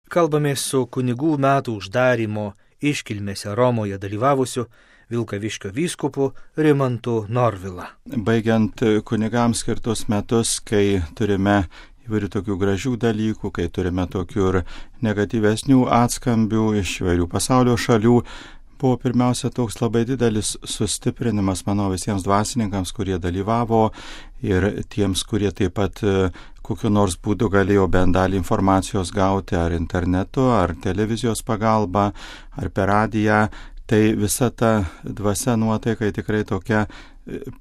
Kalbamės su kunigų metų uždarymo iškilmėse Romoje dalyvavusiu Vilkaviškio vyskupu Rimantu Norvila. Baigiant kunigams skirtus metus, kai turime įvairių tokių gražių dalykų, kai turime tokių ir negatyvesnių atskambių iš įvairių pasaulio šalių, buvo pirmiausia toks labai didelis sustiprinimas, manau, visiems dvasininkams, kurie dalyvavo ir tiems, kurie taip pat kokiu nors būdu galėjo bent dalį informacijos gauti ar internetu, ar televizijos pagalba, ar per radiją. Tai visa ta dvasia nuotaika tikrai tokia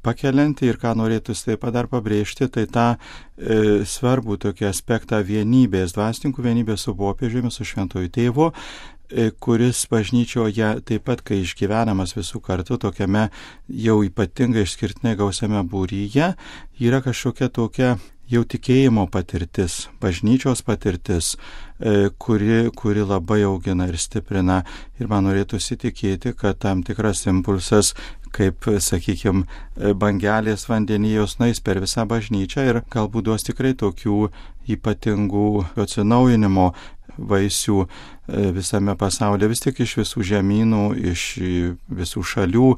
pakelianti ir ką norėtųsi taip pat dar pabrėžti, tai tą svarbų tokį aspektą vienybės, dvasininkų vienybės su popiežiumi, su šventuoju tėvu, kuris bažnyčioje taip pat, kai išgyvenamas visų kartu tokiame jau ypatingai išskirtinai gausiame būryje, yra kažkokia tokia jau tikėjimo patirtis, bažnyčios patirtis, kuri labai augina ir stiprina. Ir man norėtųsi tikėti, kad tam tikras impulsas, kaip, sakykime, bangelės vandenijos nueis per visą bažnyčią ir galbūt duos tikrai tokių ypatingų atsinaujinimo vaisių visame pasaulyje, vis tik iš visų žemynų, iš visų šalių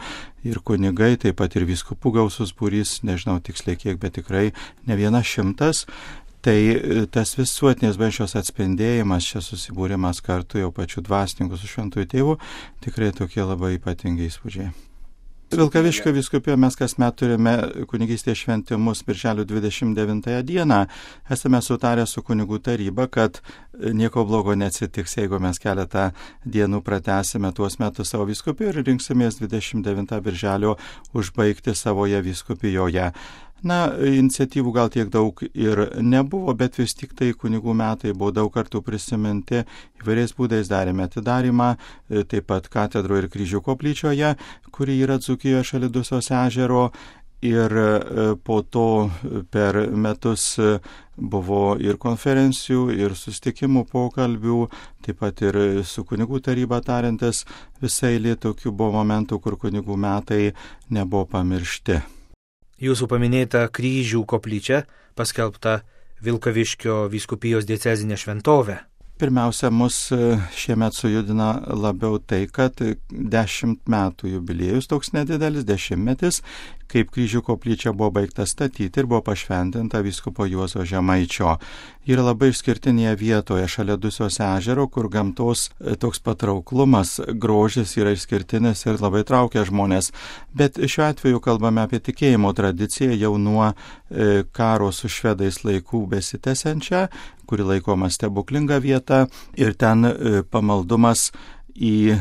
ir kunigai, taip pat ir vyskupų gausus būrys, nežinau tiksliai kiek, bet tikrai ne 100. Tai tas visuotinės bažnyčios atspindėjimas, čia susibūrimas kartu jau pačių dvasininkų su šventuoju tėvu, tikrai tokie labai ypatingi įspūdžiai. Vilkaviškio vyskupijoje mes kasmet turime kunigystės šventimus birželio 29 dieną. Esame sutarę su kunigų taryba, kad nieko blogo neatsitiks, jeigu mes keletą dienų pratęsime tuos metus savo vyskupijoje ir rinksimės 29 birželio užbaigti savoje vyskupijoje. Na, iniciatyvų gal tiek daug ir nebuvo, bet vis tik tai kunigų metai buvo daug kartų prisiminti, įvairiais būdais darėme atidarimą, taip pat katedro ir kryžių koplyčioje, kuri yra Dzūkijoje šalia Dusios ežero, ir po to per metus buvo ir konferencijų, ir susitikimų pokalbių, taip pat ir su kunigų taryba tariantis, visai eilė tokių buvo momentų, kur kunigų metai nebuvo pamiršti. Jūsų paminėta kryžių koplyčia paskelbta Vilkaviškio vyskupijos diecezinė šventovė. Pirmiausia, mus šiemet sujudina labiau tai, kad 10 metų jubiliejus toks nedidelis, 10-metis, kaip kryžių koplyčia buvo baigta statyti ir buvo pašventinta vyskupo Juozo Žemaičio. Yra labai išskirtinėje vietoje šalia Dusios ežero, kur gamtos toks patrauklumas, grožis yra išskirtinis ir labai traukia žmonės. Bet šiuo atveju kalbame apie tikėjimo tradiciją jau nuo karo su švedais laikų besitęsiančią, kuri laikoma stebuklinga vieta ir ten pamaldumas į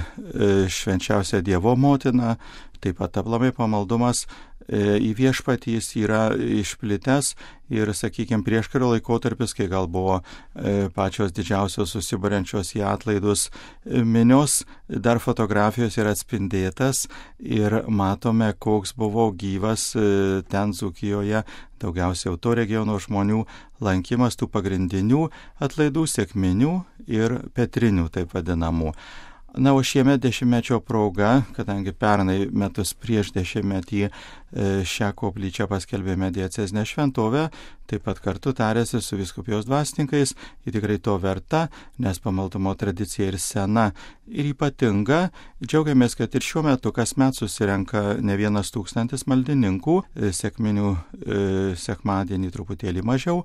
švenčiausią Dievo motiną, taip pat aplamai pamaldumas į viešpatį jis yra išplitęs ir, sakykime, prieškario laikotarpis, kai gal buvo pačios didžiausios susiburiančios į atlaidus minios, dar fotografijos yra atspindėtas ir matome, koks buvo gyvas ten Dzūkijoje, daugiausiai to regiono žmonių lankymas tų pagrindinių atlaidų, sekminių ir petrinių, taip vadinamų. Na, o šiemet 10-mečio proga, kadangi pernai metus prieš 10-metį šią koplyčią paskelbėme diecezinę šventovę, taip pat kartu tarėsi su vyskupijos dvasininkais, ji tikrai to verta, nes pamaldumo tradicija ir sena ir ypatinga. Džiaugiamės, kad ir šiuo metu kasmet susirenka ne 1,000 maldininkų, sekminių sekmadienį truputėlį mažiau,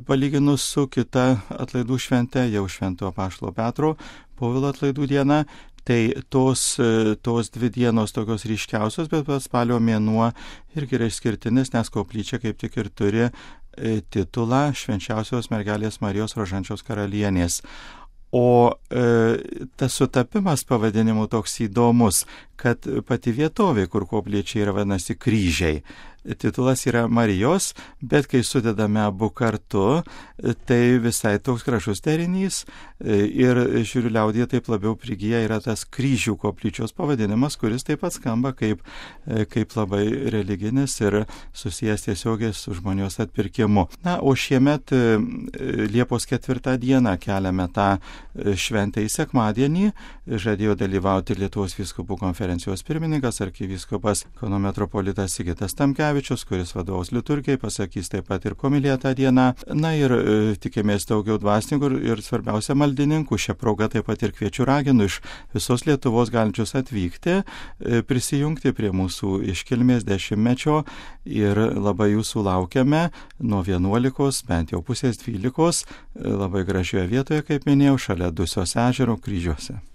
palyginus su kita atlaidų švente, jau Šventojo Apaštalo Petro Povilo atlaidų diena, tai tos 2 dienos tokios ryškiausios, bet spalio mėnuo irgi yra išskirtinis, nes koplyčia kaip tik ir turi titulą Švenčiausios mergelės Marijos Rožančiaus karalienės. O tas sutapimas pavadinimu toks įdomus, kad pati vietovė, kur koplyčia yra, vadinasi Kryžiai. Titulas yra Marijos, bet kai sudedame abu kartu, tai visai toks gražus derinys ir žiūriu liaudyje taip labiau prigyja yra tas Kryžių koplyčios pavadinimas, kuris taip pat skamba kaip labai religinis ir susijęs tiesiogiai su žmonijos atpirkimu. Na, o šiemet Liepos 4 dieną keliame tą šventę į sekmadienį, žadėjo dalyvauti Lietuvos vyskupų konferencija konferencijos pirmininkas arkivyskupas Kauno metropolitas Sigitas Tamkevičius, kuris vadovaus liturgijai, pasakys taip pat ir homiliją tą dieną. Na ir tikimės daugiau dvasininkų ir svarbiausia maldininkų. Šią progą taip pat ir kviečiu raginu iš visos Lietuvos galinčius atvykti, prisijungti prie mūsų iškilmės 10-mečio ir labai jūsų laukiame nuo 11, bent jau pusės 12, labai gražioje vietoje, kaip minėjau, šalia Dusios ežero Kryžiuose.